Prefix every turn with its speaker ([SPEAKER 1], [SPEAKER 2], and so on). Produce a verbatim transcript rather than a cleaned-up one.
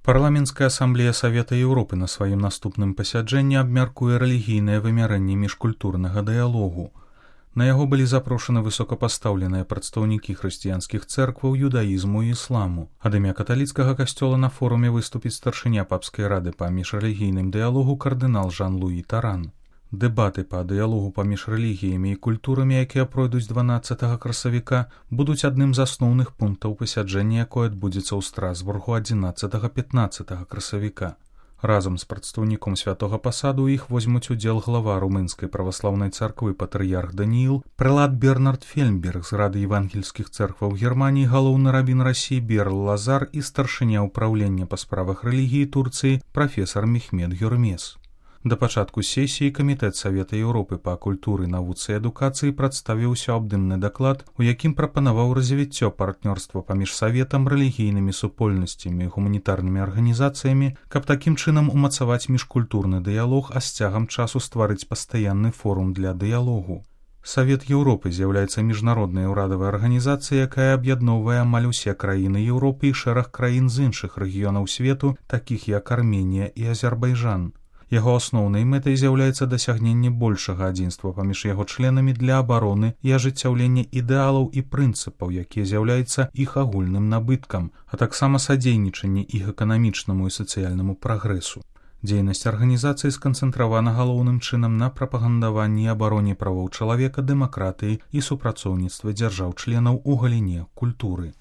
[SPEAKER 1] Парламенцкая асамблея Савета Еўропы на сваім наступным пасяджэнні абмяркуе рэлігійнае вымярэнне міжкультурнага дыялогу. На яго былі запрошаны высокапастаўленыя прадстаўнікі хрысціянскіх цэркваў, юдаізму і ісламу. Ад імя каталіцкага касцёла на форуме выступіць старшыня папскай рады па міжрэлігійным дыялогу кардынал Жан-Луі Таран. Дэбаты па дыялогу паміж рэлігіямі і культурамі, якія пройдуць дванаццатага красавіка, будуць адным з асноўных пунктаў пасяджэння, якое адбудзецца ў Страсбургу адзінаццатага-пятнаццатага красавіка. Разам з прадстаўніком святога пасаду іх возьмуць удзел глава румынскай праваслаўнай царквы патрыярх Данііл, прэлат Бернард Фельмберг з рады евангельскіх цэркваў Германіі, галоўны рабін Расіі Берл Лазар і старшыня ўпраўлення па справах рэлігіі Турцыі прафесар Мехмед Гюрмес. Да пачатку сесіі Камітэт Савета Еўропы па культуры, навуцы і адукацыі прадставіў усеабдымны даклад, у якім прапанаваў развіццё партнёрства паміж Саветам, рэлігійнымі супольнасцямі і гуманітарнымі арганізацыямі, каб такім чынам умацаваць міжкультурны дыялог, а з цягам часу стварыць пастаянны форум для дыялогу. Савет Еўропы з'яўляецца міжнароднай урадавай арганізацыяй, якая аб'ядноўвае амаль усе краіны Еўропы і шэраг краін з іншых рэгіёнаў свету, такіх як Арменія і Азербайджан. Яго асноўнай мэтай з'яўляецца дасягненне большага адзінства паміж яго членамі для абароны і ажыццяўлення ідэалаў і прынцыпаў, якія з'яўляюцца іх агульным набыткам, а таксама садзейнічанне іх эканамічнаму і сацыяльнаму прагрэсу. Дзейнасць арганізацыі сканцэнтравана галоўным чынам на прапагандаванні і абароне правоў чалавека, дэмакратыі і супрацоўніцтва дзяржаў-членаў у галіне культуры.